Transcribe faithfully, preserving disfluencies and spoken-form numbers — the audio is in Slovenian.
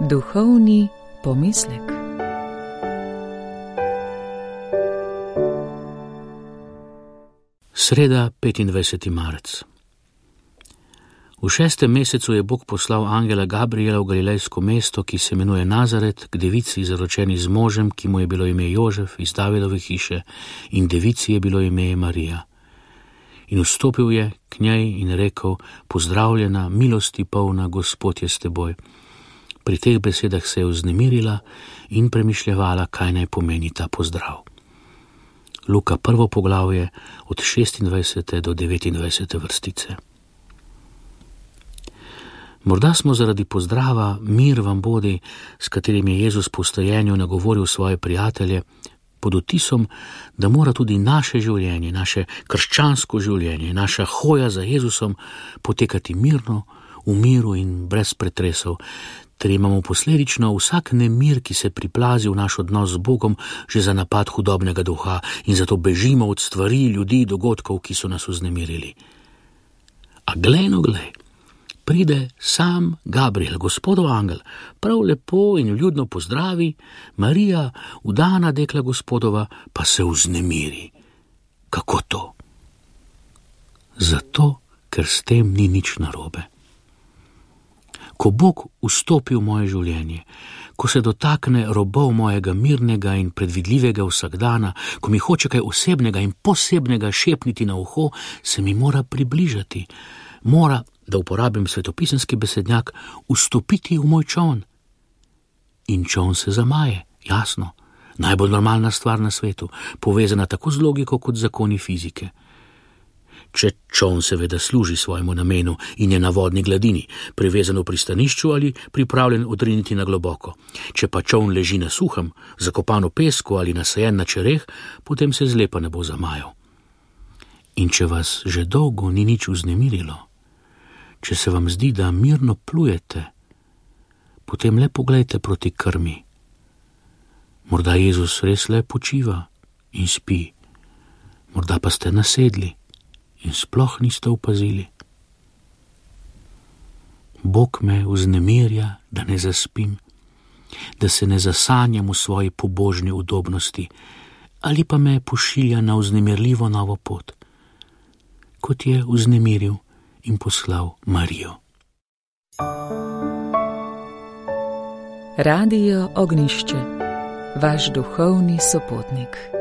Duhovni pomislek. Sreda, petindvajseti marec. V šestem mesecu je Bog poslal angela Gabriela v galilejsko mesto, ki se imenuje Nazaret, k devici zaročeni z možem, ki mu je bilo ime Jožef iz Davidove hiše, in devici je bilo ime Marija. In vstopil je k njej in rekel: pozdravljena, milosti polna, Gospod je s teboj. Pri teh besedah se je vznemirila in premišljevala, kaj naj pomeni ta pozdrav. Luka prvo poglavje od šestindvajsete do devetindvajsete vrstice. Morda smo zaradi pozdrava mir vam bodi, s katerim je Jezus po vstajenju nagovoril svoje prijatelje, pod vtisom, da mora tudi naše življenje, naše krščansko življenje, naša hoja za Jezusom potekati mirno, v miru in brez pretresov, ter imamo posledično vsak nemir, ki se priplazi v naš odnos z Bogom, že za napad hudobnega duha, in zato bežimo od stvari, ljudi, dogodkov, ki so nas vznemirili. A glej no glej, pride sam Gabriel, Gospodov angel, prav lepo in ljudno pozdravi, Marija, vdana dekla Gospodova, pa se vznemiri. Kako to? Zato, ker s tem ni nič narobe. Ko Bog vstopi v moje življenje, ko se dotakne robov mojega mirnega in predvidljivega vsakdana, ko mi hoče kaj osebnega in posebnega šepniti na uho, se mi mora približati, mora, da uporabim svetopisemski besednjak, vstopiti v moj čoln. In čoln se zamaje, jasno, najbolj normalna stvar na svetu, povezana tako z logiko kot zakoni fizike. Če čoln seveda služi svojemu namenu in je na vodni gladini, privezan v pristanišču ali pripravljen odriniti na globoko. Če pa čoln leži na suhem, zakopan v pesku ali nasajen na čereh, potem se zlepa ne bo zamajal. In če vas že dolgo ni nič vznemirilo, če se vam zdi, da mirno plujete, potem le poglejte proti krmi. Morda Jezus res le počiva in spi, morda pa ste nasedli in sploh niste opazili. Bog me vznemirja, da ne zaspim, da se ne zasanjam v svoji pobožni udobnosti, ali pa me pošilja na vznemirljivo novo pot, kot je vznemiril in poslal Marijo. Radio Ognjišče, vaš duhovni sopotnik.